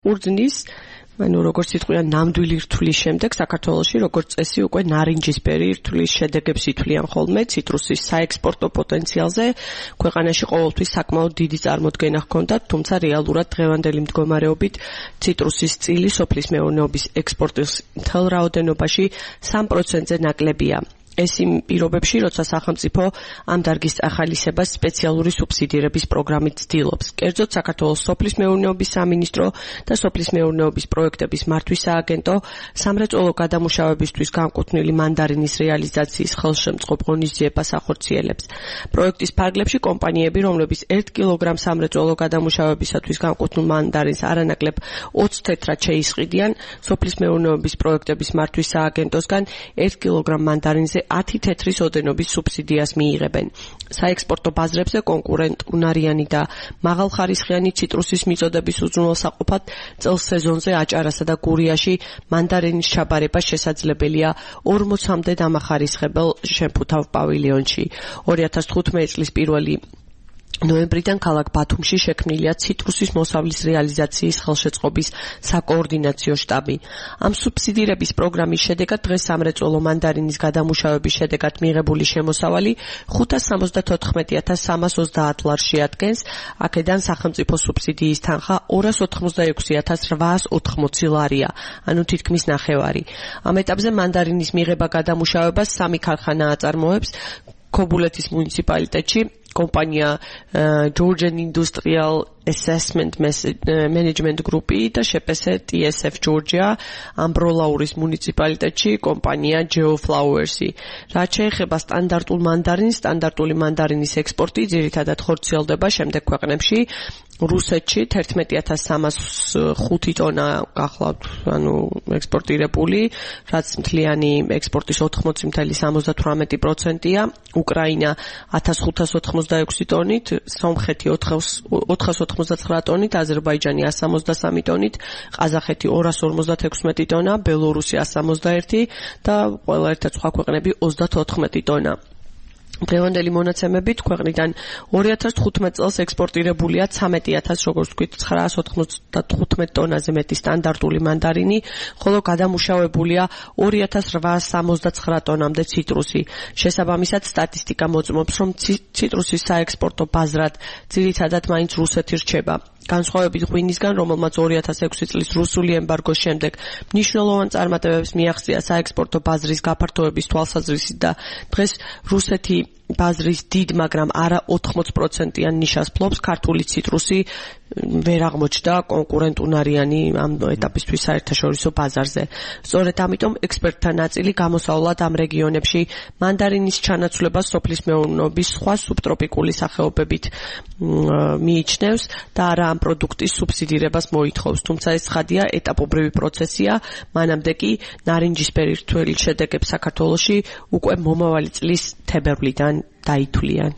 ურძნის როგორც იტყვიან ნამდვილი რთulis შემდეგ საქართველოში როგორც წესი უკვე ნარინჯისფერი რთulis შედეგებს ითვლიან ხოლმე ციტრუსის საექსპორტო პოტენციალზე ქვეყანაში ყოველთვის საკმაოდ დიდი წარმოდგენა ჰქონდათ, თუმცა რეალურად დღევანდელი მდგომარეობით ციტრუსის წილი სოფლის მეურნეობის ექსპორტის მთელ რაოდენობაში 3%-ზე ნაკლებია. ეს იმ პირობებში, როცა სახელმწიფო ამ დარგის ახალისებას სპეციალური სუბსიდირების პროგრამით ცდილობს. კერძოდ, საქართველოს სოფლის მეურნეობის სამინისტრო და სოფლის მეურნეობის პროექტების მართვის სააგენტო სამრეწველო გადამუშავებისთვის განკუთვნილი მანდარინის რეალიზაციის ხელშემწყობ ღონისძიებას ახორციელებს. პროექტის ფარგლებში კომპანიები, რომლებიც 1 კილოგრამ სამრეწველო გადამუშავებისათვის განკუთვნილ მანდარინს არანაკლებ 20 თეთრად შეისყიდიან, სოფლის მეურნეობის პროექტების მართვის სააგენტოსგან 1 კილოგრამ მანდარინზე 10 თეთრის ოდენობის სუბსიდიას მიიღებენ. საექსპორტო ბაზრებზე კონკურენტუნარიანი და მაღალხარისხიანი ციტრუსის მიწოდების უზრუნველსაყოფად წელს სეზონზე აჭარასა და გურიაში მანდარინის ჩაბარება შესაძლებელია 40-მდე დამახარისხებელ შემფუთავ პავილიონში. 2015 წლის 1 ნოემბრიდან ქალაქ ბათუმში შექმნილია ციტრუსის მოსავლის რეალიზაციის ხელშეწყობის საკოორდინაციო შტაბი. ამ სუბსიდირების პროგრამის შედეგად დღეს სამრეწველო მანდარინის გადამუშავების შედეგად მიღებული შემოსავალი 574,330 ლარს შეადგენს, აქედან სახელმწიფო სუბსიდიის თანხა 286,880 ლარია, ანუ თითქმის ნახევარი. ამ ეტაპზე მანდარინის მიღება გადამუშავებას 3 ქარხანა აწარმოებს ქობულეთის მუნიციპალიტეტში, კომპანია Georgian Industrial Assessment Management Group და შეპესე TSF Georgia, ამბროლაურის მუნიციპალიტეტში კომპანია Geoflowers. რაც შეეხება სტანდარტული მანდარინის ექსპორტი, ძირითადად ხორციელდება შემდეგ ქვეყნებში. რუსეთში 11,305 ტონა გახლავთ, ექსპორტირებული, რაც მთლიანი ექსპორტის 80,78%-ია. უკრაინა 1586 ტონით, სომხეთი 499 ტონით, აზერბაიჯანი 163 ტონით, ყაზახეთი 256 ტონა, ბელორუსი 161 და ყველა ერთად სხვა ქვეყნები 34 ტონა. დღევანდელი მონაცემებით ქვეყნიდან 2015 წელს ექსპორტირებულია 13,000, როგორც ვთქვით, 995 ტონაზე მეტი სტანდარტული მანდარინი, ხოლო გადამუშავებულია 2,869 ტონამდე ციტრუსი. შესაბამისად, სტატისტიკა მოწმობს, რომ ციტრუსის საექსპორტო ბაზრად ძირითადად მაინც რუსეთი რჩება. განსხვავებით ღვინისგან, რომელმაც 2006 წლის რუსული ემბარგოს შემდეგ მნიშვნელოვან წარმატებებს მიაღწია საექსპორტო ბაზრის გაფართოების თვალსაზრისით და დღეს რუსეთი ბაზრის დიდ, მაგრამ არა 80%-იან ნიშას ფლობს, ქართული ციტრუსი ვერ აღმოჩნდა კონკურენტუნარიანი ამ ეტაპისთვის საერთაშორისო ბაზარზე. სწორედ ამიტომ ექსპერტთა ნაწილი გამოსავლად ამ რეგიონებში მანდარინის ჩანაცვლებას სოფლის მეურნეობის სხვა სუბტროპიკული სახეობებით მიიჩნევს და არა ამ პროდუქტის სუბსიდირებას მოითხოვს. თუმცა ეს ცხადია ეტაპობრივი პროცესია, მანამდე კი ნარინჯისფერი რთული შედეგებს საქართველოში უკვე მომავალი წლის თებერვლიდან დაითვლიან.